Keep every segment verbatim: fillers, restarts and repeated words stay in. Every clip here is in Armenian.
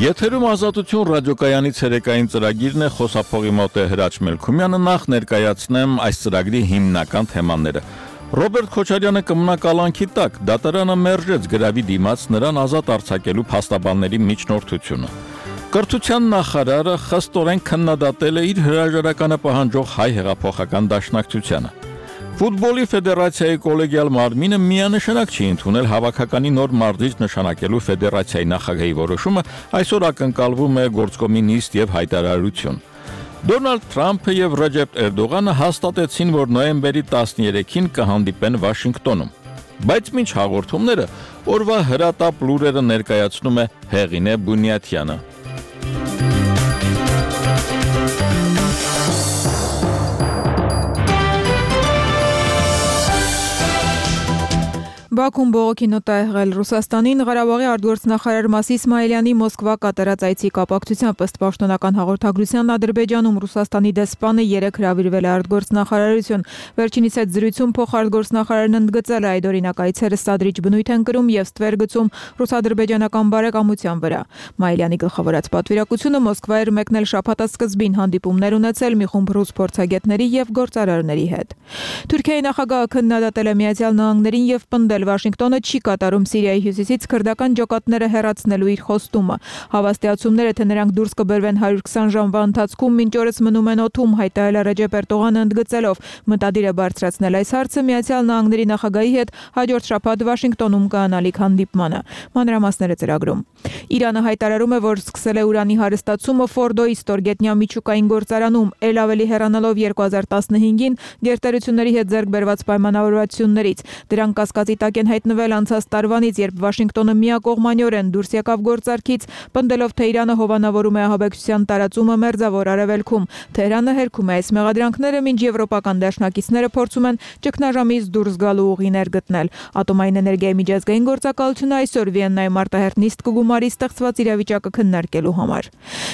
Եթերում ազատություն ռադիոկայանի ցերեկային ծրագիրն է, խոսափողի մոտ է Հրաչ Մելքումյանը, նախ ներկայացնեմ այս ծրագրի հիմնական թեմաները։ Ռոբերտ Քոչարյանը կմնա կալանքի տակ, դատարանը մերժեց գրավի դիմաց նրան ազատ արձակելու փաստաբանների միջնորդությունը։ Կրթության նախարարը խստորեն քննադատել է իր հրաժարականը պահանջող հայ հեղափոխական դաշնակցությանը։ Ֆուտբոլի ֆեդերացիայի կոլեգիալ մարմինը միանշանակ չի ընդունել հավաքականի նոր մարզիչ նշանակելու ֆեդերացիայի նախագահի որոշումը, այսօր ակնկալվում է գործկոմի նիստ եւ հայտարարություն։ Դոնալդ Թրամփը եւ Ռեջեփ Էրդողանը հաստատեցին, որ նոյեմբերի տասներեքին կհանդիպեն Վաշինգտոնում։ Բայց մինչ հաղորդումները օրվա հրատապ լուրերը ներկայացնում է Հեղինե Բունյաթյանը։ Բաքուն բողոքի նոտ է եղել Ռուսաստանին, Ղարաբաղի արտգործնախարար Մասի Իսմայելյանի Մոսկվա կատարած այցի կապակցությամբ ըստ պաշտոնական հաղորդագրության Ադրբեջանում Ռուսաստանի դեսպանը երեկ հրավիրվել է արտգործնախարարություն։ Վերջինիս հետ զրույցում փոխարտգործնախարարն ընդգծել է այդ օրինակ այցերը սադրիչ բնույթ են կրում եւ ստվեր գցում ռուս-ադրբեջանական բարեկամության վրա։ Մայելյանի գլխավորած պատվիրակությունը Մոսկվա էր մեկնել շաբաթասկզբին հանդիպումներ ունեցել մի խումբ ռուս փորձագետների եւ գործարարների հետ։ Թուրքիայի նախագահը քննադատել է Միացյալ Նահանգներին եւ պնդել Վաշինգտոնը չի կատարում Սիրիայի հյուսիսից քրդական ջոկատները հեռացնելու իր խոստումը։ Հավաստիացումները, թե նրանք դուրս կբերվեն հարյուր քսան ժամվա ընթացքում, մինչ օրս մնում են օդում, հայտարարել է Ռեջեփ Էրդողանը ընդգծելով, մտադիր է բարձրացնել այս հարցը Միացյալ Նահանգների նախագահի հետ հաջորդ շաբաթ Վաշինգտոնում կանալիք հանդիպմանը։ Մանրամասները ծրագրում։ Իրանը հայտարարում է, որ սկսել է ուրանի հարստացումը Ֆորդոյի ստորգետնյա միջուկային գործարանում, ել ավելի հեռանալով երկու հազար տասնհինգին գերտերությունների հետ ձեռք բերված պայմանավորվածություններից։ Դրանք կասկածի տակ են հայտնվել անցած տարվանից, երբ Վաշինգտոնը միակողմանիորեն դուրս եկավ գործարքից, պնդելով, թե Իրանը հովանավորում է ահաբեկչության տարածումը Մերձավոր Արևելքում։ Թեհրանը հերքում է այս մեղադրանքները, մինչ եվրոպական դաշնակիցները փորձում են ճգնաժամից դուրս գալու ուղիներ գտնել։ Ատոմային էներգիայի միջազգային գործակալությունը այսօր Վիեննայում արտահերթ նիստ կգումարի ստեղծված իրավիճակը քննարկելու համար։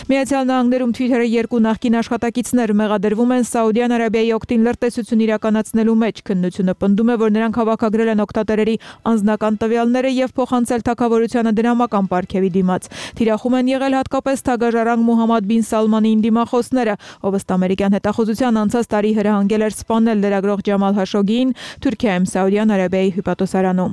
Միացյալ Նահանգներում Twitter-ը երկու նախկին աշխատակիցներ մեղադրվում են Սաուդյան Արաբիայի օգտին լրտեսություն իրականացնելու մեջ։ Քննությունը պնդում է, որ նրանք հավաքագրել են օգտատերերի անձնական տվյալները եւ փոխանցել թագավորությանը դրամական պարգևի դիմաց։ Թիրախում են եղել հատկապես թագաժառանգ Մուհամմադ բին Սալմանին դիմախոսները, ով ըստ ամերիկյան հետախուզության անցած տարի հրահանգել էր սպանել լրագրող Ջամալ Հաշոգիին Թուրքիայում Սաուդյան Արաբիայի հյուպատոսարանում։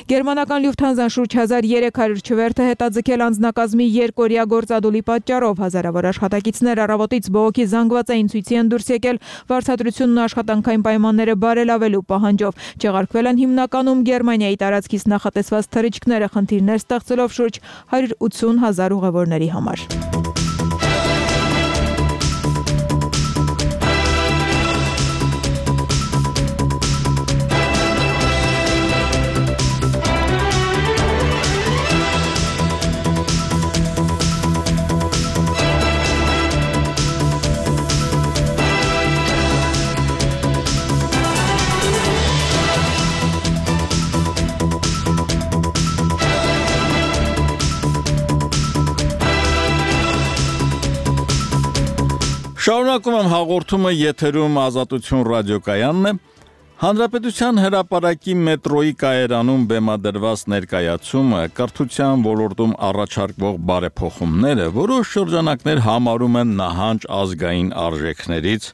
Գերմանական Լյուֆթանզան շուրջ հազար երեք հարյուր չվերթը հետաձգել անձնակազմի երկօրյա գործադուլի պատճառով հազարավոր աշխատակիցներ առավոտից բողոքի զանգվածային ցույցի են դուրս եկել վարձատրությունն ու աշխատանքային պայմանները բարելավելու պահանջով։ Չեղարկվել են հիմնականում Գերմանիայի տարածքից նախատեսված թռիչքները, խնդիրներ ստեղծելով շուրջ հարյուր ութսուն հազար ուղևորների համար։ Շարունակում եմ հաղորդումը, եթերում ազատություն ռադիոկայանն է։ Հանրապետության հրապարակի մետրոյի կայարանում բեմադրված ներկայացումը կրթության ոլորտում առաջարկվող բարեփոխումները որոշ շրջանակներ համարում են նահանջ ազգային արժեքներից։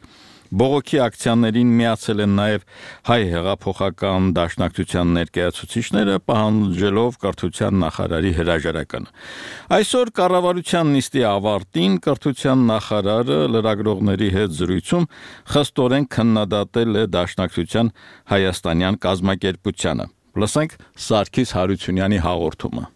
Բողոքի ակցիաներին միացել են նաև հայ հեղափոխական դաշնակցության ներկայացուցիչները, պահանջելով կրթության նախարարի հրաժարականը։ Այսօր կառավարության նիստի ավարտին կրթության նախարարը լրագրողների հետ զրույցում խստորեն քննադատել է դաշնակցության հայաստանյան կազմակերպությանը։ Լսենք Սարգիս Հարությունյանի հաղորդումը։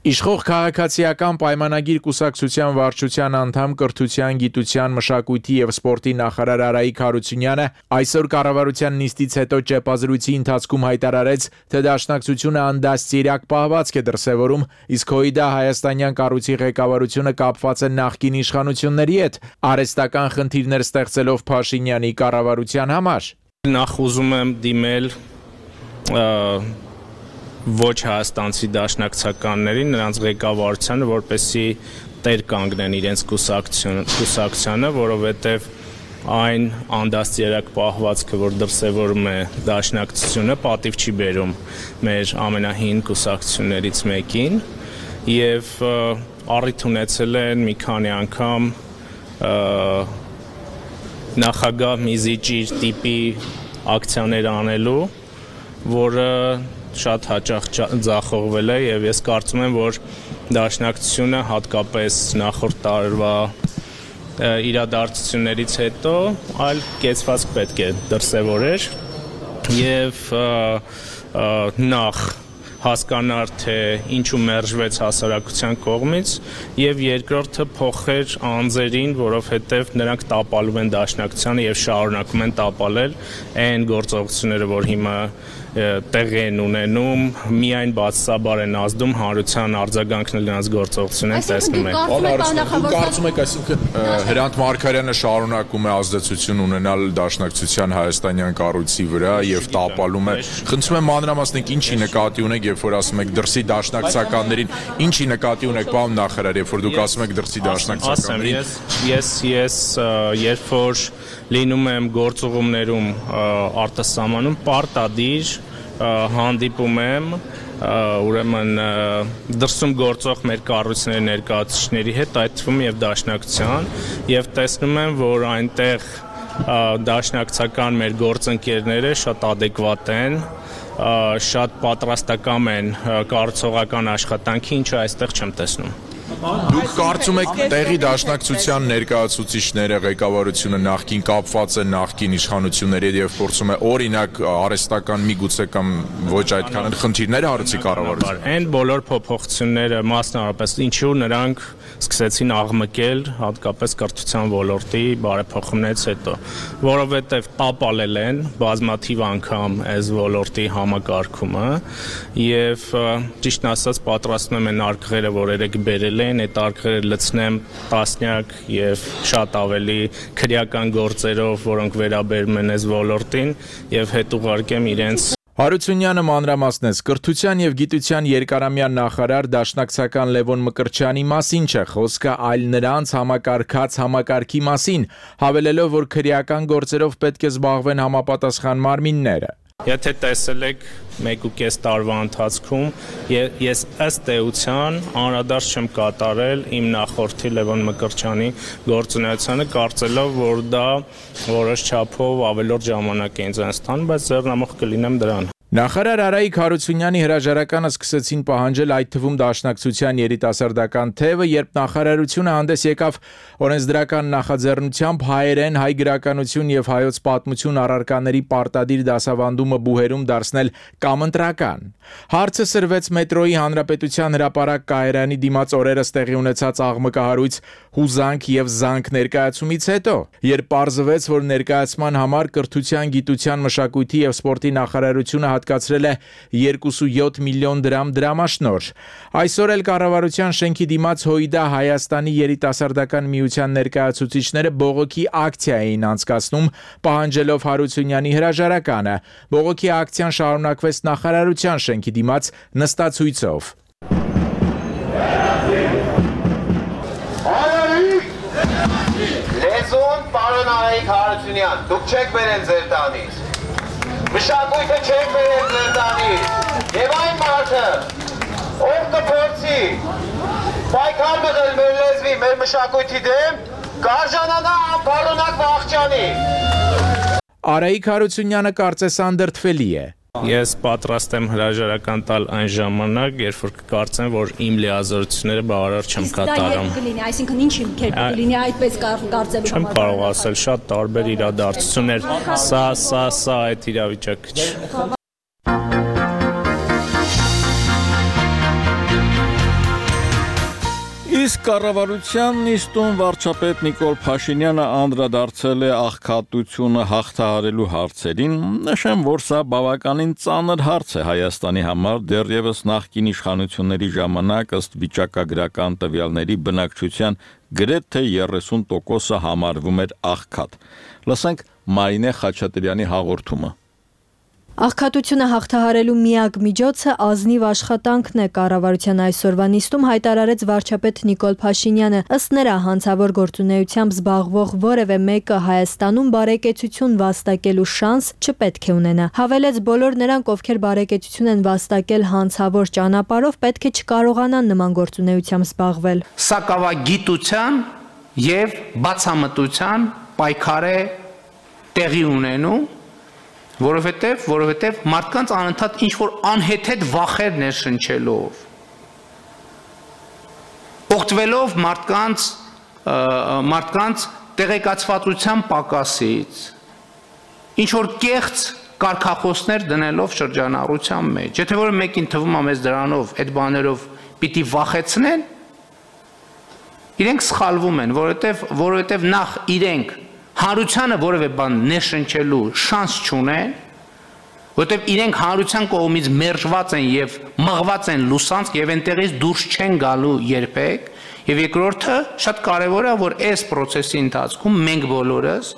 Իշխող քաղաքացիական պայմանագիր կուսակցության վարչության անդամ կրթության, գիտության, մշակույթի եւ սպորտի նախարար Արայիկ Հարությունյանը այսօր կառավարության նիստից հետո ճեպազրույցի ընթացքում հայտարարեց, թե դաշնակցությունը անդաստիարակ պահվածք է դրսևորում, իսկ հույդա հայաստանյան կառույցի ղեկավարությունը կապված է նախկին իշխանությունների հետ, արհեստական խնդիրներ ստեղծելով Փաշինյանի կառավարության համար։ Նախ ուզում եմ դիմել ոչ հայաստանցի դաշնակցականներին, նրանց ղեկավարությանը, որպեսզի տեր կանգնեն իրենց կուսակցությանը, որովհետև այն անդաստիարակ պահվածքը, որ դրսևորում է դաշնակցությունը, պատիվ չի բերում մեր ամենահին կուսակցություններից մեկին, եւ առիթ ունեցել են մի քանի անգամ նախագահ Միզիջիր տիպի ակցիաներ անելու, որը շատ հաճախ ձախողվել է եւ ես կարծում եմ, որ Դաշնակցությունը հատկապես նախորդ տարվա իրադարձություններից հետո այլ կեցվածք պետք է դրսևորեր եւ նախ հասկանար, թե ինչու մերժվեց հասարակության կողմից եւ երկրորդը փոխեր անձերին, որովհետեւ նրանք տապալում են Դաշնակցությանը եւ շարունակում են տապալել այն գործողությունները, որ հիմա տեղի են ունենում, միայն բացասաբար են ազդում հանրության արձագանքն նրանց գործողություններին տեսնում են։ Դուք կարծում եք, այսինքն Հրանտ Մարգարյանը շարունակում է ազդեցություն ունենալ Դաշնակցության հայաստանյան կառույցի վրա եւ տապալում է։ Խնդրում եմ մանրամասնեք ինչի նկատի ունեք, երբ որ ասում եք դրսի դաշնակցականներին, ինչի նկատի ունեք, պարոն նախարար, երբ որ դուք ասում եք դրսի դաշնակցականներին։ Ես ես երբ որ լինում եմ գործուղումներում արտասահմանում պարտադիր հանդիպում եմ ուրեմն դրսում գործող մեր կառույցների ներկայացուցիչների հետ, այդ թվում եւ Դաշնակցության, եւ տեսնում եմ, որ այնտեղ դաշնակցական մեր գործընկերները շատ adekvat են, շատ պատրաստական են կառուցողական աշխատանքի, ինչը այստեղ չեմ տեսնում։ Դուք կարծում եք տեղի Դաշնակցության ներկայացուցիչները, ղեկավարությունը նախկին կապված է նախկին իշխանությունների հետ եւ փորձում է օրինակ արհեստական միգուցե կամ ոչ այդքան խնդիրներ հարցի կառավարություն։ Այն բոլոր փոփոխությունները մասնավորապես ինչու նրանք սկսեցին աղմկել հատկապես կրթության ոլորտի բարեփոխումներից հետո, որովհետեւ տապալել են բազմաթիվ անգամ այս ոլորտի համակարգումը եւ ճիշտն ասած պատրաստում են արկղերը, որ երեք բերել են, այդ արկղերը լցնեմ տասնյակ եւ շատ ավելի քրեական գործերով, որոնք վերաբերում են այս ոլորտին եւ հետ ուղարկեմ իրենց Հարությունյանը մանրամասնեց կրթության եւ գիտության երկարամյա նախարար Դաշնակցական Լևոն Մկրտչյանի մասին չէ խոսքը, այլ նրանց համակարգած համակարգի մասին, հավելելով, որ քրեական գործերով պետք է զբաղվեն համապատասխան մարմինները։ Եթե տեսել եք մեկ ու կես տարվա ընթացքում, ես ըստ էության անդրադարձ չեմ կատարել իմ նախորդի Լևոն Մկրտչյանի գործունեությանը, կարծելով, որ դա որոշ չափով ավելորդ ժամանակ է ինձ ստանում, բայց ձեռնամուխ կլինեմ դրան։ Նախարար Արայիկ Հարությունյանի հրաժարականը սկսեցին պահանջել այդ թվում Դաշնակցության երիտասարդական թևը, երբ նախարարությունը հանդես եկավ օրենսդրական նախաձեռնությամբ հայերեն, հայ գրականություն եւ հայոց պատմություն առարկաների պարտադիր դասավանդումը բուհերում դարձնել կամընտրական։ Հարցը սրվեց մետրոյի Հանրապետության հրապարակ կայարանի դիմաց օրերս տեղի ունեցած աղմկահարույց հուզանք եւ զանք ներկայացումից հետո, երբ պարզվեց, որ ներկայացման համար կրթության, գիտության, մշակույթի եւ սպորտի նախարարությունը հատկացրել է երկուսույոթ միլիոն դրամ դրամաշնոր։ Այսօր էլ կառավարության շենքի դիմաց Հոիդա Հայաստանի երիտասարդական միության ներկայացուցիչները բողոքի ակցիա էին անցկացնում, պահանջելով Հարությունյանի հրաժարականը։ Բողոքի ակցիան շարունակվեց նախարարության շենքի դիմաց նստացույցով։ Լեզուն պարոն Արայիկ Հարությունյան, դուք չեք բերել ձեր տանից։ Մշակույթը չեք բերել ձեր տանից։ Եվ այն մարդը, ով կփորձի պայքար մղել մեր լեզվի, մեր մշակույթի դեմ, կարժանանա անփառունակ վախճանի։ Արայիկ Հարությունյանը կարծես անդրդվելի է։ Ես պատրաստ եմ հրաժարական տալ այն ժամանակ, երբ որ կկարծեմ, որ իմ լիազորությունները բավարար չեմ կատարում։ Այսինքն ինչ կերպ կլինի այդպես կարծելու համար։ Չեմ կարող ասել, շատ տարբեր իրադարձություններ, սա, սա, սա այդ իրավիճակը չէ։ Իսկ կառավարության նիստում վարչապետ Նիկոլ Փաշինյանը անդրադարձել է աղքատությունը հաղթահարելու հարցերին, նշեմ, որ սա բավականին ծանր հարց է Հայաստանի համար, դեռևս նախկին իշխանությունների ժամանակ ըստ վիճակագրական տվյալների բնակչության գրեթե երեսուն տոկոսը համարվում էր աղքատ։ Լսենք Մարինե Խաչատրյանի հաղորդումը։ Աղքատությունը հաղթահարելու միակ միջոցը ազնիվ աշխատանքն է, կառավարության այսօրվա նիստում հայտարարեց վարչապետ Նիկոլ Փաշինյանը։ Ըստ նրա, հանցավոր գործունեությամբ զբաղվող որևէ մեկը Հայաստանում բարեկեցություն վաստակելու շանս չպետք է ունենա։ Հավելեց, բոլոր նրանք, ովքեր բարեկեցություն են վաստակել հանցավոր ճանապարհով, պետք է չկարողանան նման գործունեությամբ զբաղվել։ Սակավագիտության եւ բացամտության պայքար է տեղի ունենում, որովհետև որովհետև մարդկանց անընդհատ ինչ-որ անհեթեթ վախեր ներշնչելով, օգտվելով մարդկանց մարդկանց տեղեկացվածության պակասից, ինչ-որ կեղծ կարգախոսներ դնելով շրջանառության մեջ, եթե որ մեկին թվում է մեզ դրանով, այդ բաներով պիտի վախեցնեն, իրենք սխալվում են, որովհետև որովհետև նախ իրենք հանրությանը որևէ բան ներշնչելու շանս չունեն, որովհետև իրենք հանրության կողմից մերժված են եւ մղված են լուսանցք եւ այնտեղից դուրս չեն գալու երբեք, եւ երկրորդը շատ կարեւոր է, որ այս process-ի ընթացքում մենք բոլորս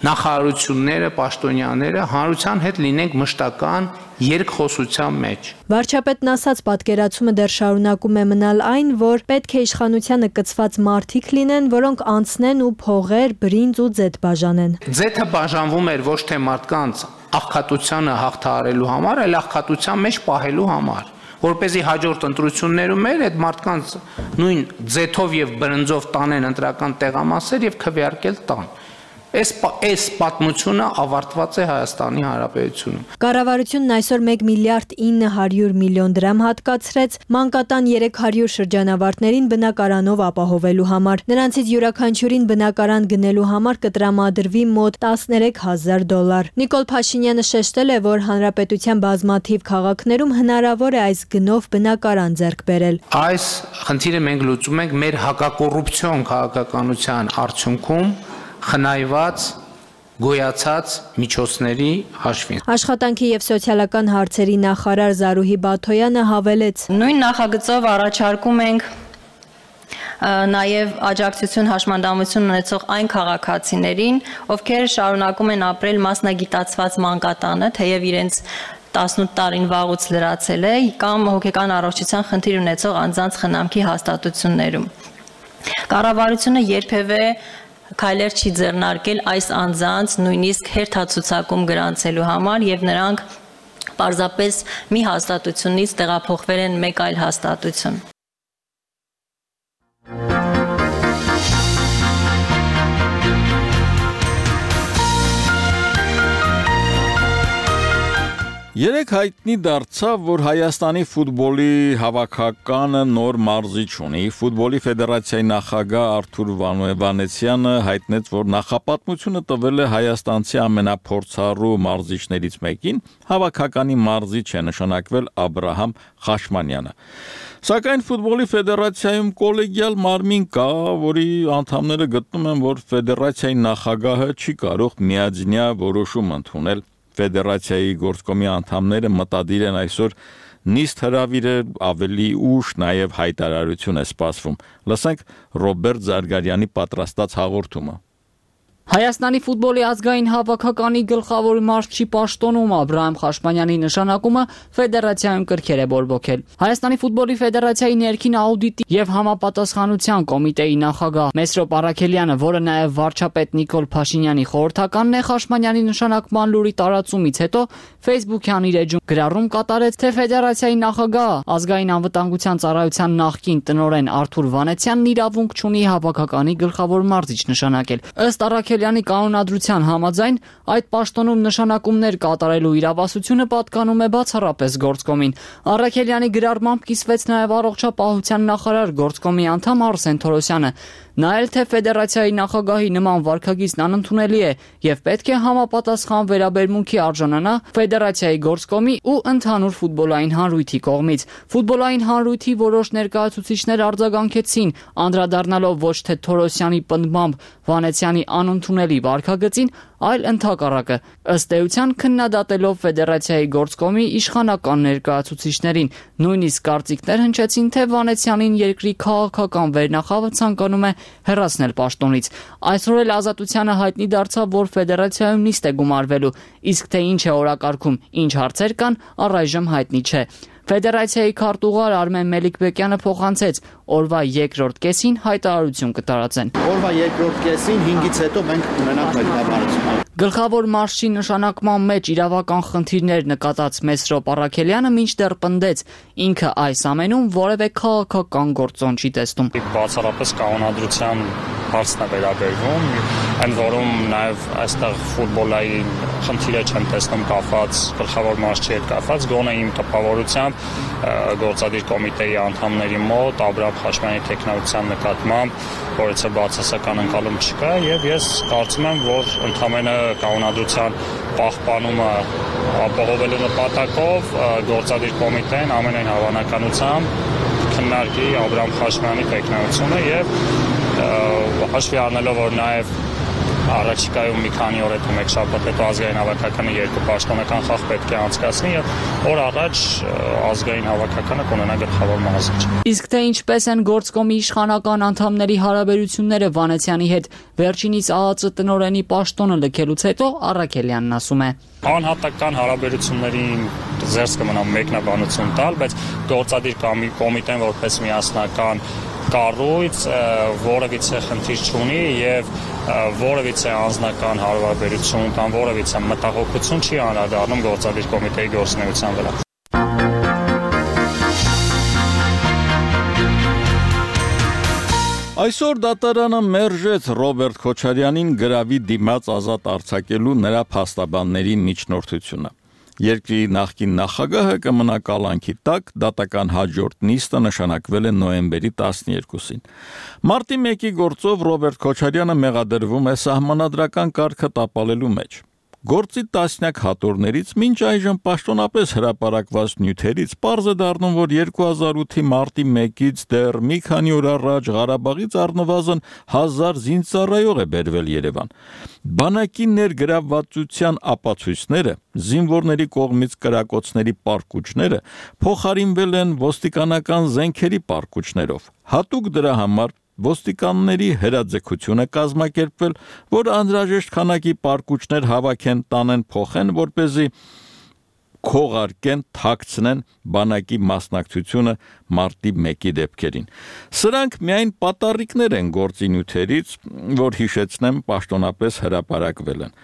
նախարարությունները, պաշտոնյաները հանրության հետ լինենք մշտական երկխոսության մեջ։ Վարչապետն ասաց, պատկերացումը դեռ շարունակում է մնալ այն, որ պետք է իշխանությանը կցված մարդիկ լինեն, որոնք անցնեն ու փողեր, բրինձ ու ձեթ բաժանեն։ Ձեթը բաժանվում էր ոչ թե մարդկանց աղքատությանը հաղթահարելու համար, այլ աղքատության մեջ պահելու համար, որպեսզի հաջորդ ընտրություններում էր այդ մարդկանց նույն ձեթով եւ բրինձով տանեն ընտրական տեղամասեր եւ քվեարկել տան։ Այս այս պատմությունը ավարտված է Հայաստանի Հանրապետությունում։ Կառավարությունն այսօր մեկ միլիարդ ինը հարյուր միլիոն դրամ հատկացրեց մանկատան երեք հարյուր շրջանավարտներին բնակարանով ապահովելու համար։ Նրանցից յուրաքանչյուրին բնակարան գնելու համար կտրամադրվի մոտ տասներեք հազար դոլար։ Նիկոլ Փաշինյանը շեշտել է, որ հանրապետության բազմաթիվ քաղաքներում հնարավոր է այս գնով բնակարան ձեռք բերել։ Այս խնդիրը մենք լուծում ենք մեր հակակոռուպցիոն քաղաքականության արդյունքում խնայված գոյացած միջոցների հաշվին։ Աշխատանքի եւ սոցիալական հարցերի նախարար Զարուհի Բաթոյանը հավելեց. Նույն նախագծով առաջարկում ենք նաև աջակցություն հաշմանդամություն ունեցող այն քաղաքացիներին, ովքեր շարունակում են ապրել մասնագիտացված մանկատանը, թեև իրենց տասնութ տարին վաղուց լրացել է, կամ հոգեկան առողջության խնդիր ունեցող անձանց խնամքի հաստատություններում։ Կառավարությունը երբևէ քայլեր չի ձեռնարկել այս անձանց նույնիսկ հերթացուցակում գրանցելու համար եւ նրանք պարզապես մի հաստատությունից տեղափոխվել են մեկ այլ հաստատություն։ Երեք հայտնի դարձավ, որ Հայաստանի ֆուտբոլի հավաքականը նոր մարզիչ ունի։ Ֆուտբոլի ֆեդերացիայի նախագահ Արթուր Վանեցյանը հայտնեց, որ նախապատմությունը տվել է հայաստանցի ամենափորձառու մարզիչներից մեկին, հավաքականի մարզիչ է նշանակվել Աբրահամ Խաշմանյանը։ Սակայն ֆուտբոլի ֆեդերացիայում կոլեգիալ մարմին կա, որի անդամները գտնում են, որ ֆեդերացիայի նախագահը չի կարող միաձնյա որոշում ընդունել։ Ֆեդերացիայի գործկոմի անդամները մտադիր են այսօր նիստ հրավիրել, ավելի ուշ նաև հայտարարություն է սպասվում։ Լսենք Ռոբերտ Զարգարյանի պատրաստած հաղորդումը։ Հայաստանի ֆուտբոլի ազգային հավաքականի գլխավոր մարզչի պաշտոնում Աբրահամ Խաշմանյանի նշանակումը ֆեդերացիայում կրքեր է բորբոքել։ Հայաստանի ֆուտբոլի ֆեդերացիայի ներքին աուդիտի եւ համապատասխանության կոմիտեի նախագահ Մեսրոպ Արաքելյանը, որը նաեւ վարչապետ Նիկոլ Փաշինյանի խորհրդականն է, Խաշմանյանի նշանակման լուրի տարածումից հետո Facebook-յան իր էջում գրառում կատարեց, թե ֆեդերացիայի նախագահ ազգային անվտանգության ծառայության նախկին տնօրեն Արթուր Վանեցյանն իրավունք չունի հավաքականի գլխավոր մարզիչ նշանակել։ Ըստ Արաքելյանի կանոնադրության համաձայն այդ պաշտոնում նշանակումներ կատարելու իրավասությունը պատկանում է բացառապես գործկոմին։ Արաքելյանի գրառմամբ կիսվեց նաև առողջապահության նախարար գործկոմի անդամ Արսեն Թորոսյանը։ Նա էլ թե ֆեդերացիայի նախագահի նման վարքագիծն անընդունելի է եւ պետք է համապատասխան վերաբերմունքի արժանանա ֆեդերացիայի գործկոմի ու ընդհանուր ֆուտբոլային հանրույթի կողմից։ Ֆուտբոլային հանրույթի որոշ ներկայացուցիչներ արձագանքեցին, անդրադառնալով ոչ թե Թորոսյանի պնդմամբ Վանեցյանի անընդունելի վարքագծին, այլ ընդհակառակը, ըստ էության քննադատելով ֆեդերացիայի գործկոմի իշխանական ներկայացուցիչներին, նույնիսկ կարծիքներ հնչեցին, թե Վանեցյանին երկրի քաղաքական վերնախավը ցանկանում է հեռացնել պաշտոնից։ Այսօր էլ Ազատությանը հայտնի դարձավ, որ ֆեդերացիայում նիստ է գումարվելու, իսկ թե ինչ է օրակարգում, ինչ հարցեր կան, առայժմ հայտնի չէ։ Ֆեդերացիայի քարտուղար Արմեն Մելիքբեկյանը փոխանցեց, օրվա երկրորդ կեսին հայտարարություն կտարածեն։ Օրվա երկրորդ կեսին հինգից հետո մենք կունենանք մեկնաբանություն։ Գլխավոր մարշչի նշանակման մեջ իրավական խնդիրներ նկատած Մեսրոպ Առաքելյանը մինչդեռ պնդեց, ինքը այս ամենում որևէ քաղաքական գործոն չի տեսնում։ Բացառապես կանոնադրության հարցն է վերաբերվում, այն որում նաև այստեղ ֆուտբոլայի խնդիրը չեմ տեսնում կապված գլխավոր մարշչի հետ կապված, գոնե իմ տպավորությամբ գործադիր կոմիտեի անդամների մոտ Աբրահամ Խաչատրյանի տեխնոլոգիության նկատմամբ որևէ բացասական ընկալում չկա եւ ես կարծում եմ, որ ընդհանրապես կանոնադրության պահպանումը ապահովելու նպատակով գործադիր կոմիտեն ամենայն հավանականությամբ քննարկի Աբրահամ Խաչատրյանի տեխնոլոգիությունը եւ հաշվի առնելով, որ նաև առաջիկայում մի քանի օր հետո մեկ շաբաթ հետո ազգային հավաքականը երկու պաշտոնական խաղ պետք է անցկացնի եւ օր առաջ ազգային հավաքականը կունենա գլխավոր մարզիչ։ Իսկ թե ինչպես են գործկոմի իշխանական անդամների հարաբերությունները Վանեցյանի հետ, վերջինիս ԱԱԾ տնօրենի պաշտոնը լքելուց հետո Առաքելյանն ասում է. Անհատական հարաբերություններին զերծ կմնա մեկնաբանություն տալ, բայց գործադիր կոմիտեն որպես միասնական կառույց որևիցե խնդիր չունի եւ որևիցե անձնական հարաբերություն կամ որևիցե մտահոգություն չի անդրադառնում գործադիր կոմիտեի գործունեության վրա։ Այսօր դատարանը մերժեց Ռոբերտ Քոչարյանին գրավի դիմաց ազատ արձակելու նրա փաստաբանների միջնորդությունը։ Երկրի նախկին նախագահը կմնա կալանքի տակ, դատական հաջորդ նիստը նշանակվել է նոյեմբերի տասներկուսին։ Մարտի մեկի գործով Ռոբերտ Քոչարյանը մեղադրվում է սահմանադրական կարգը տապալելու մեջ։ Գործի տասնյակ հատորներից մինչ այժմ պաշտոնապես հրապարակված նյութերից պարզ է դառնում, որ երկու հազար ութի մարտի մեկից դեռ մի քանի օր առաջ Ղարաբաղից առնվազն հազար զինծառայող է բերվել Երևան։ Բանակի ներգրավվածության ապացույցները, զինվորների կողմից կրակոցների պարկուճները փոխարինվել են ոստիկանական զենքերի պարկուճներով։ Հատուկ դրա համար ոստիկանների հրաձգություն է կազմակերպվել, որ անհրաժեշտ քանակի պարկուճներ հավաքեն, տանեն, փոխեն, որպեսզի քողարկեն, թաքցնեն բանակի մասնակցությունը մարտի մեկի դեպքերին։ Սրանք միայն պատառիկներ են գործի նյութերից, որ հիշեցնեմ պաշտոնապես հրապարակվել են։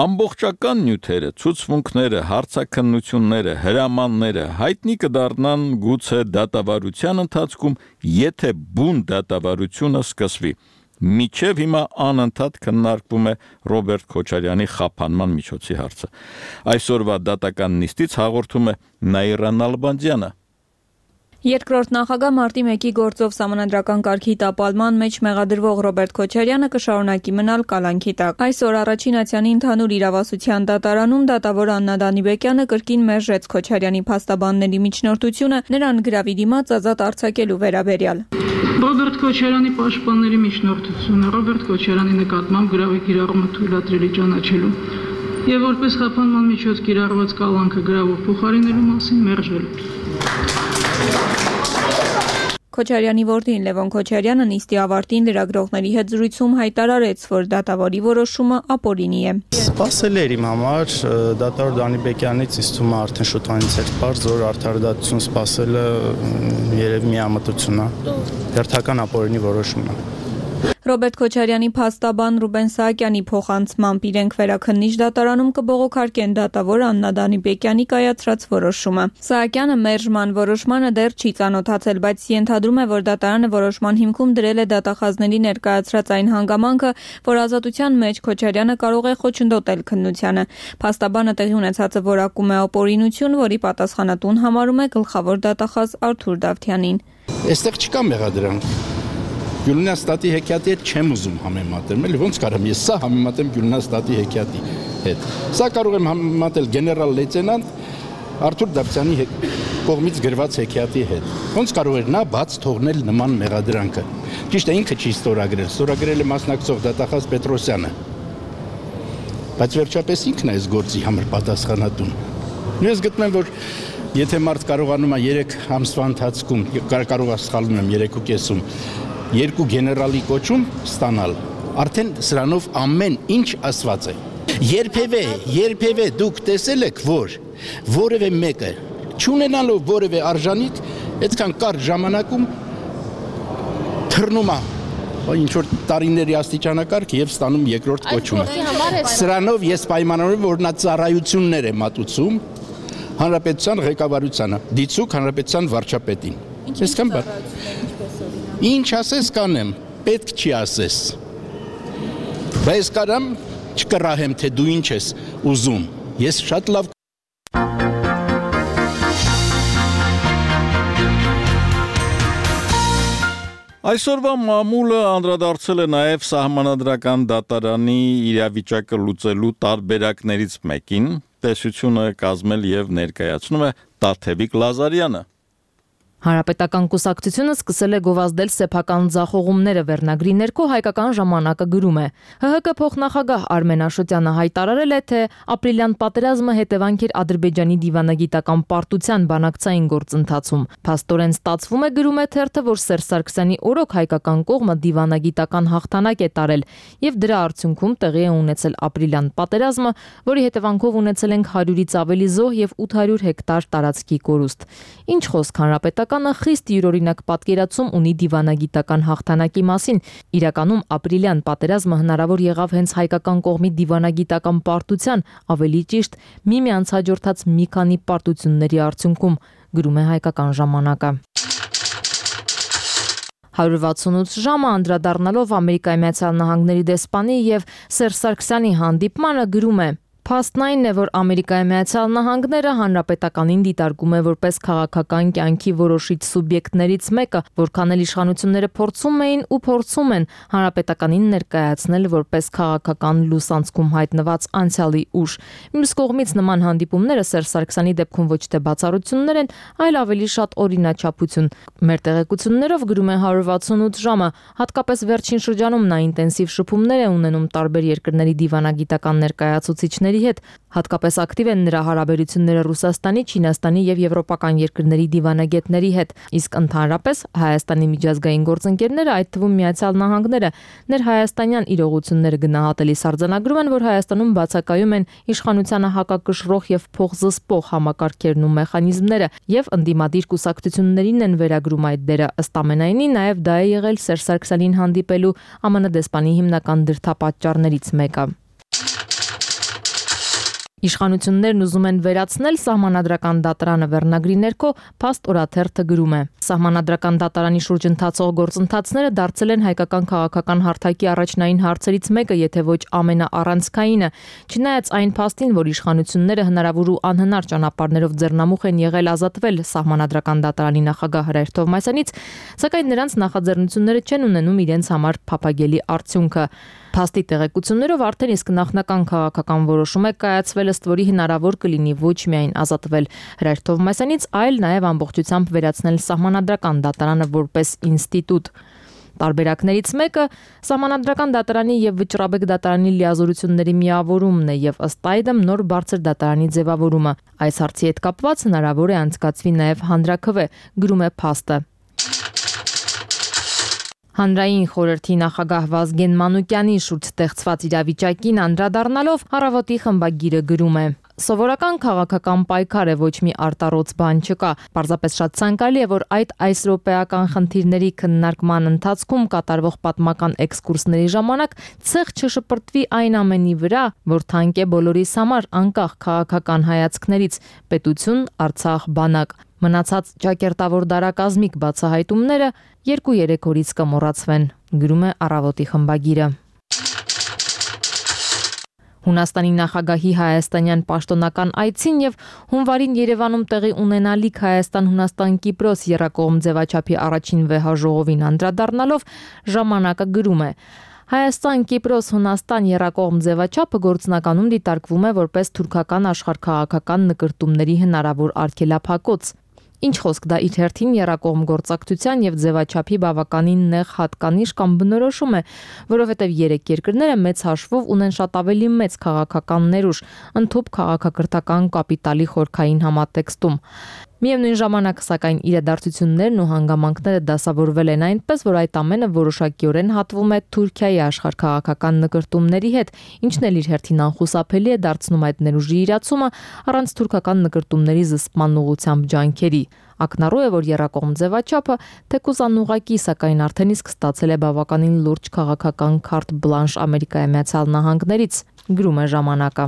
Ամբողջական նյութերը, ցուցմունքները, հարցաքննությունները, հրամանները հայտնի կդառնան գուցե դատավարության ընթացքում, եթե բուն դատավարությունը սկսվի։ Միջև հիմա անընդհատ քննարկվում է Ռոբերտ Քոչարյանի խափանման միջոցի հարցը։ Այսօրվա դատական նիստից հաղորդում է Նաիրա Նալբանդյանը։ Երկրորդ նախագահ մարտի մեկի գործով սահմանադրական կարգի տապալման մեջ մեղադրվող Ռոբերտ Քոչարյանը կշարունակի մնալ կալանքի տակ։ Այսօր առաջին ացյանի ընդհանուր իրավասության դատարանում դատավոր Աննա Դանիբեկյանը կրկին մերժեց Քոչարյանի փաստաբանների միջնորդությունը նրան գրավի դիմաց ազատ արձակելու վերաբերյալ։ Ռոբերտ Քոչարյանի պաշտպանների միջնորդությունը Ռոբերտ Քոչարյանի նկատմամբ գրավի կիրառումը թույլատրելի ճանաչելու եւ որպես խափանման միջոց կիրառված կալանքը գրավով փոխարինելու մասին մերժելու։ Քոչարյանի որդին Լևոն Քոչարյանը նիստի ավարտին լրագրողների հետ զրույցում հայտարարեց, որ դատավորի որոշումը ապօրինի է։ Սպասել էր իմ համար դատավոր Դանիբեկյանից ինձ թվում է արդեն շուտվանից էր պարզ, որ արդարադատություն սպասելը երևի միամտություն է։ Հերթական ապօրինի որոշում է։ Ռոբերտ Քոչարյանի փաստաբան Ռուբեն Սահակյանի փոխանցմամբ իրենք վերաքննիչ դատարանում կբողոքարկեն դատավոր Աննա Դանիբեկյանի կայացրած որոշումը։ Սահակյանը մերժման որոշմանը դեռ չի ծանոթացել, բայց ենթադրում է, որ դատարանը որոշման հիմքում դրել է դատախազների ներկայացրած այն հանգամանքը, որ ազատության մեջ Քոչարյանը կարող է խոչընդոտել քննությանը։ Փաստաբանը տեղի ունեցածը որակում է ապօրինություն, որի պատասխանատուն համարում է գլխավոր դատախազ Արթուր Դավթյանին։ Այստեղ չկա մեղադրանք։ Գյուլնաստատի հեքիաթի հետ չեմ ուզում համեմատել, էլի ոնց կարամ ես սա համեմատեմ Գյուլնաստատի հեքիաթի հետ։ Սա կարող եմ համեմատել գեներալ լեյտենանտ Արթուր Դավթյանի կողմից գրված հեքիաթի հետ։ Ոնց կարող էր նա բաց թողնել նման մեղադրանքը։ Ճիշտ է, ինքը չի ստորագրել, ստորագրել է մասնակցող դատախազ Պետրոսյանը։ բայց վերջապես ինքն է այս գործի համար պատասխանատուն։ Ես գտնում եմ, որ եթե մարդ կարողանում է երեք ամսվա ընթացքում, կարող է սխալվում եմ երեք ու կեսում, երկու գեներալի կոչում ստանալ, արդեն սրանով ամեն ինչ ասված է։ Երբևէ, երբևէ դուք տեսել եք, որ որևէ մեկը չունենալով որևէ արժանիք, այդքան կարճ ժամանակում թռնում է ինչ որ տարիների աստիճանակարգ եւ ստանում երկրորդ կոչումը։ Սրանով ես պայմանավորում եմ, որ նա ծառայություններ է մատուցում հանրապետության ղեկավարությանը, դիցուք հանրապետության վարչապետին։ Այսքան բան։ Ինչ ասես կանեմ, պետք չի ասես։ Բայց կարամ չկռահեմ, թե դու ինչ ես ուզում։ Ես շատ լավ Այսօրվա մամուլը անդրադարձել է նաև սահմանադրական դատարանի իրավիճակը լուծելու տարբերակներից մեկին, տեսությունը կազմել եւ ներկայացնում է Տաթևիկ Լազարյանը։ Հանրապետական կուսակցությունը սկսել է գովազդել սեփական ձախողումները վերնագրի ներքո հայկական ժամանակը գրում է։ Հ Հ Կ փոխնախագահ Արմեն Աշոտյանը հայտարարել է, թե ապրիլյան պատերազմը հետևանք էր Ադրբեջանի դիվանագիտական պարտության բանակցային գործընթացում։ Փաստորեն ստացվում է, գրում է թերթը, որ Սերժ Սարգսյանի օրոք հայկական կողմը դիվանագիտական հաղթանակ է տարել եւ դրա արդյունքում տեղի է ունեցել ապրիլյան պատերազմը, որի հետևանքով ունեցել ենք հարյուրից ավելի զոհ եւ ութ հարյուր հեկտար տարածքի կորուստ։ Ինչ խոսք հանրապետական Կանը խիստ յուրօրինակ պատկերացում ունի դիվանագիտական հաղթանակի մասին։ Իրականում ապրիլյան պատերազմը հնարավոր եղավ հենց հայկական կողմի դիվանագիտական պարտության, ավելի ճիշտ միմյանց հաջորդած մի քանի պարտությունների արդյունքում, գրում է հայկական ժամանակը։ հարյուր վաթսունութ ժամը անդրադառնալով Ամերիկայի Միացյալ Նահանգների դեսպանի եւ Սերժ Սարգսյանի հանդիպմանը գրում է. Փաստն այն է, որ Ամերիկայի Միացյալ Նահանգները հանրապետականին դիտարկում է որպես քաղաքական կյանքի որոշիչ սուբյեկտներից մեկը, որքան էլ իշխանությունները փորձում էին ու փորձում են հանրապետականին ներկայացնել որպես քաղաքական լուսանցքում հայտնված անցյալի ուժ։ Մյուս կողմից նման հանդիպումները Սերժ Սարգսյանի դեպքում ոչ թե բացառություններ են, այլ ավելի շատ օրինաչափություն։ Մեր տեղեկություններով գրում է հարյուր վաթսունութ ժամը, հատկապես վերջին շրջանում նա ինտենսիվ շփումներ է ունենում տարբեր երկրների դիվանագիտական ներկայացուցիչների հետ, հատկապես ակտիվ են նրա հարաբերությունները Ռուսաստանի, Չինաստանի եւ եվրոպական երկրների դիվանագետների հետ, իսկ ընդհանրապես Հայաստանի միջազգային գործընկերները, այդ թվում Միացյալ Նահանգները, ներհայաստանյան իրողությունները գնահատելիս արձանագրում են, որ Հայաստանում բացակայում են իշխանությանը հակակշռող եւ փոխզսպող համակարգերն ու մեխանիզմները եւ ընդդիմադիր կուսակցություններին են վերագրում այդ դերը, ըստ ամենայնի նաեւ դա է եղել Սերժ Սարգսյանին հանդիպելու Ամեն դեսպանի հիմնական դրդապատճառներից մեկը։ Իշխանություններն ուզում են վերացնել սահմանադրական դատարանը վերնագրի ներքո, փաստ օրաթերթը գրում է. Սահմանադրական դատարանի շուրջ ընթացող գործընթացները դարձել են հայկական քաղաքական հարթակի առաջնային հարցերից մեկը, եթե ոչ ամենաառանցքայինը, չնայած այն փաստին, որ իշխանությունները հնարավոր ու անհնար ճանապարհներով ձեռնամուխ են եղել ազատվել սահմանադրական դատարանի նախագահ Հրայր Թովմասյանից, սակայն նրանց նախաձեռնությունները չեն ունենում իրենց համար փափագելի արդյունքը։ Փաստի տեղեկություններով արդեն իսկ նախնական քաղաքական որոշում է կայացվել, ըստ որի հնարավոր կլինի ոչ միայն ազատվել Հրայր Թովմասյանից, այլ նաև ամբողջությամբ վերացնել սահմանադրական դատարանը որպես ինստիտուտ։ Տարբերակներից մեկը սահմանադրական դատարանի եւ վճռաբեկ դատարանի լիազորությունների միավորումն է եւ ըստ այդմ նոր բարձր դատարանի ձևավորումը։ Այս հարցի հետ կապված հնարավոր է անցկացվի նաև հանրաքվե, գրում է փաստը։ Հանրային խորհրդի նախագահ Վազգեն Մանուկյանի շուրջ ստեղծված իրավիճակին անդրադառնալով Առավոտի խմբագիրը գրում է. Սովորական քաղաքական պայքար է, ոչ մի արտառոց բան չկա։ Պարզապես շատ ցանկալի է, որ այդ այս րոպեական խնդիրների քննարկման ընթացքում կատարվող պատմական էքսկուրսների ժամանակ ցեղ չշպրտվի այն ամենի վրա, որ թանկ է բոլորիս համար, անկախ քաղաքական հայացքներից՝ պետություն, Արցախ, բանակ։ Մնացած ճակերտավոր դարակազմիկ բացահայտումները երկու-երեք օրից կմոռացվեն, գրում է Առավոտի խմբագիրը։ Հունաստանի նախագահի հայաստանյան պաշտոնական այցին եւ հունվարին Երևանում տեղի ունենալիք Հայաստան-Հունաստան-Կիպրոս եռակողմ ձևաչափի առաջին վեհաժողովին անդրադառնալով ժամանակը գրում է. Հայաստան-Կիպրոս-Հունաստան եռակողմ ձևաչափը գործնականում դիտարկվում է որպես թուրքական աշխարհքաղաքական նկրտումների հնարավոր արգելափակոց։ Ինչ խոսք դա իր հերթին եռակողմ գործակցության եւ ձևաչափի բավականին նեղ հատկանիշ կամ բնորոշում է, որովհետեւ երեք երկրները մեծ հաշվով ունեն շատ ավելի մեծ քաղաքական ներուժ, ընդհանուր քաղաքակրթական կապիտալի խորքային համատեքստում։ Միևնույն ժամանակ, սակայն, իրադարձություններն ու հանգամանքները դասավորվել են այնպես, որ այդ ամենը որոշակիորեն հատվում է Թուրքիայի աշխարհքաղաքական նկրտումների հետ, ինչն էլ իր հերթին անխուսափելի է դարձնում այդ ներուժի իրացումը առանց թուրքական նկրտումների զսպման ուղղությամբ ջանքերի։ Ակնառու է, որ եռակողմ ձևաչափը թեկուզ անուղղակի, սակայն արդեն իսկ ստացել է բավականին լուրջ քաղաքական քարտ բլանշ Ամերիկայի Միացյալ Նահանգներից, գրում է ժամանակը։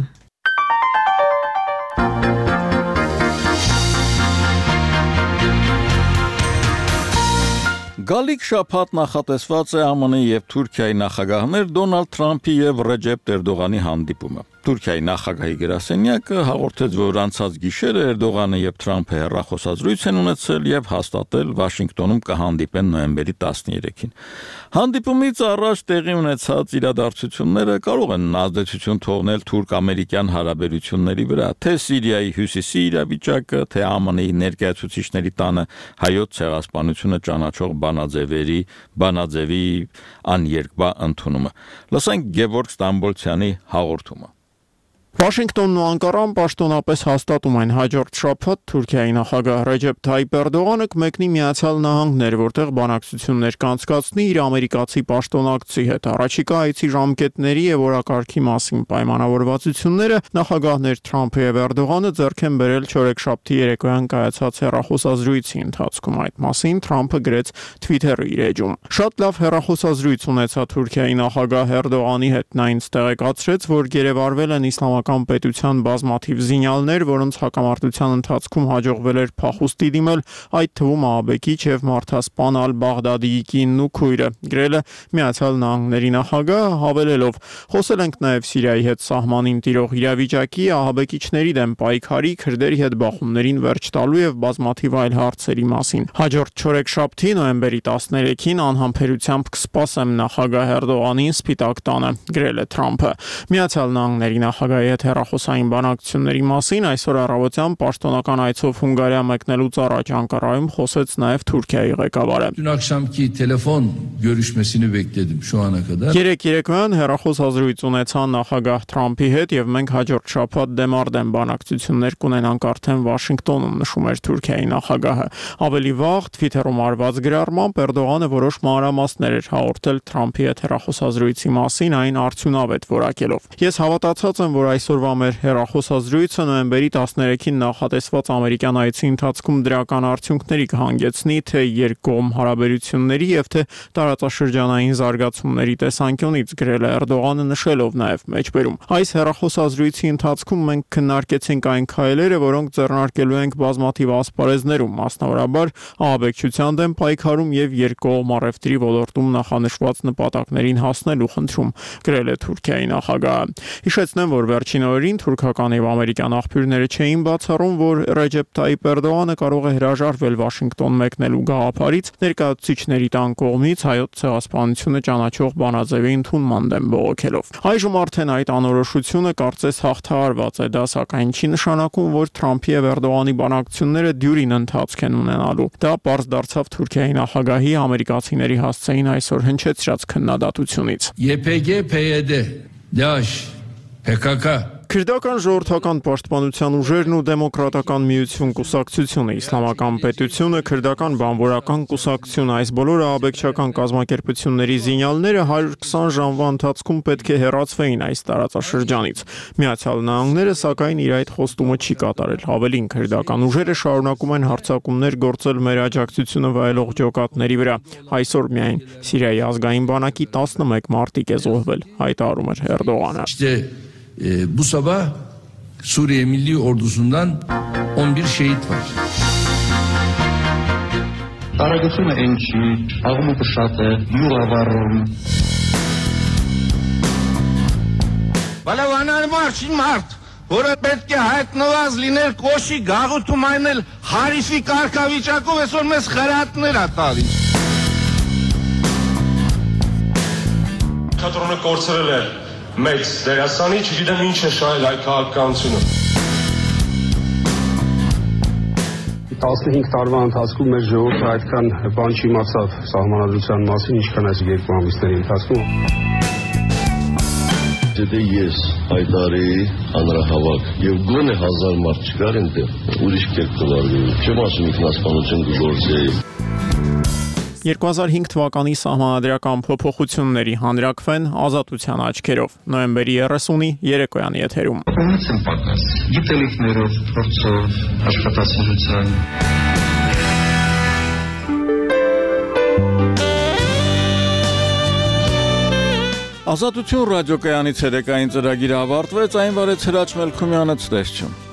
Գալիք շաբաթ նախատեսված է ԱՄՆ եւ Թուրքիայի նախագահներ Դոնալդ Թրամփի եւ Ռեջեփ Էրդողանի հանդիպումը։ Թուրքիայի նախագահի գրասենյակը հաղորդեց, որ անցած գիշերը Էրդողանը եւ Թրամփը հեռախոսազրույց են ունեցել եւ հաստատել Վաշինգտոնում կհանդիպեն նոյեմբերի տասներեքին։ Հանդիպումից առաջ տեղի ունեցած իրադարձությունները կարող են ազդեցություն թողնել թուրք-ամերիկյան հարաբերությունների վրա, թե Սիրիայի հյուսիսի իրավիճակը, թե ԱՄՆ-ի ներկայացուցիչների տանը հայոց ցեղասպանությունը ճանաչող բանաձևերի, բանաձևի աներկբա ընդունումը։ Լսենք Գևորգ Ստամբոլցյանի հաղորդումը։ Վաշինգտոնն ու Անկարան պաշտոնապես հաստատում են հաջորդ շաբաթ Թուրքիայի նախագահ Ռեջեփ Թայիփ Էրդողանը կմեկնի Միացյալ Նահանգներ, որտեղ բանակցություններ կանցկացնի իր ամերիկացի պաշտոնակցի հետ։ Առաջիկա այցի ժամկետների եւ օրակարգի մասին պայմանավորվածությունները նախագահներ Թրամփը եւ Էրդողանը ձեռք են բերել չորեքշաբթի երեկոյան կայացած հեռախոսազրույցի ընթացքում։ Այդ մասին Թրամփը գրեց Twitter-ի իր էջում։ Շատ լավ հեռախոսազրույց ունեցա Թուրքիայի նախագահ Էրդողանի հետ։ Նա ինձ տեղեկացրեց, որ գերեվարվել են իսլամական պետության բազմաթիվ զինյալներ, որոնց հակամարտության ընթացքում հաջողվել էր փախուստի դիմել, այդ թվում ահաբեկիչ եւ մարդասպան Ալ-Բաղդադիի կինն ու քույրը, գրել է Միացյալ Նահանգների նախագահը, հավելելով. խոսել ենք նաեւ Սիրիայի հետ սահմանին տիրող իրավիճակի, ահաբեկիչների դեմ պայքարի, քրդերի հետ բախումներին վերջ տալու եւ բազմաթիվ այլ հարցերի մասին։ Հաջորդ չորեքշաբթի նոյեմբերի տասներեքին անհամբերությամբ կսպասեմ նախագահ Էրդողանին Սպիտակ տանը, գրել է Թրամփը։ Միացյալ Նահանգների նախագահի հետ հեռախոսային բանակցությունների մասին այսօր առավոտյան պաշտոնական այցով Հունգարիա մեկնելուց առաջ Անկարայում խոսեց նաև Թուրքիայի ղեկավարը։ Dün akşamki telefon görüşmesini bekledim şu ana kadar. Երեք երեկոյան հեռախոսազրույց ունեցան նախագահ Թրամփի հետ եւ մենք հաջորդ շաբաթ դեմարդեմ բանակցություններ կունենանք արդեն Վաշինգտոնում, նշում էր Թուրքիայի նախագահը։ Ավելի վաղ Twitter-ում արված գրառմամբ Էրդողանը որոշ մանրամասներ էր հաղորդել Թրամփի հետ հեռախոսազրույցի մասին, այն արդյունավետ որակելով։ Ես հավատացած եմ, որ այսօրվա մեր հեռախոսազրույցը նոյեմբերի տասներեքին նախատեսված ամերիկյան այցի ընթացքում դրական արդյունքների կհանգեցնի թե երկկողմ հարաբերությունների եւ թե տարածաշրջանային զարգացումների տեսանկյունից, գրել է Էրդողանը, նշելով նաեւ մեջբերում. Այս հեռախոսազրույցի ընթացքում մենք քննարկեցինք այն քայլերը, որոնք ձեռնարկելու ենք բազմաթիվ ասպարեզներում, մասնավորաբար ահաբեկչության դեմ պայքարում եւ երկկողմ առևտրի ոլորտում նախանշված նպատակներին հասնելու խնդրում, գրել է Թուրքիայի նախագահը։ Հիշեցնեմ, որ վերջին օրերին թուրքական եւ ամերիկյան աղբյուրները չէին բացառում, որ Ռեջեփ Թայիփ Էրդողանը կարող է հրաժարվել Վաշինգտոն մեկնելու գաղափարից, ներկայացուցիչների տան կողմից հայոց ցեղասպանությունը ճանաչող բանաձևի ընդունման դեմ բողոքելով։ Այժմ արդեն այդ անորոշությունը կարծես հաղթահարված է, դա սակայն չի նշանակում, որ Թրամփի եւ Էրդողանի բանակցությունները դյուրին ընթացք են ունենալու։ Դա պարզ դարձավ Թուրքիայի նախագահի ամերիկացիների հասցեին այսօր հնչեցրած քննադատությունից։ Y P G, P Y D, DAEŞ, P K K Քրդական ժողովրդական պաշտպանության ուժերն ու դեմոկրատական միություն կուսակցությունը, իսլամական պետությունը, քրդական բանվորական կուսակցությունը, այս բոլոր ահաբեկչական կազմակերպությունների զինյալները հարյուր քսան ժամվա ընթացքում պետք է հեռացվեին այս տարածաշրջանից։ Միացյալ Նահանգները սակայն իր այդ խոստումը չի կատարել։ Ավելին, քրդական ուժերը շարունակում են հարձակումներ գործել մեր աջակցությունը վայելող ջոկատների վրա։ Այսօր միայն Սիրիայի ազգային բանակի տասնմեկ մարտիկ է զոհվել, հայտարարում էր Էրդողանը։ Ee, bu sabah Suriye Milli Ordusu'ndan on bir şehit var. Aragısına ençi, ağımı kışatı, yura varım. Balavanal marşin mart. Որը պետք է հայտնված լինել կոշի գաղութում այնել հարիսի կարգավիճակով այսօր մեզ խրատներ ա տալիս։ Թատրոնը կորցրել է մեծ դերասանի, չգիտեմ ինչ է շահել այդ քաղաքականությունը։ տասնհինգ տարվա ընթացքում մեր ժողովուրդը այդքան բան չիմացավ սահմանադրության մասին, ինչքան այս երկու ամիսների ընթացքում։ Եթե ես հայտարեի հանրահավաք եւ գոնե հազար մարդ չկար այնտեղ, ուրիշ կերպ կվարվեի, չեմ ասում ինքնասպանություն կգործեի։ երկու հազար հինգ թվականի սահմանադրական փոփոխությունների հանրակվեն ազատության աչքերով նոյեմբերի երեսունի երեկոյան եթերում։ Ունեցեմ պակաս, գիտելիքներով, փորձով, աշխատասիրության։ Ազատություն ռադիոկայանի ցերեկային ծրագիրը ավարտվեց, այն վարեց Հրաչ Մելքումյանը, ցտեսություն։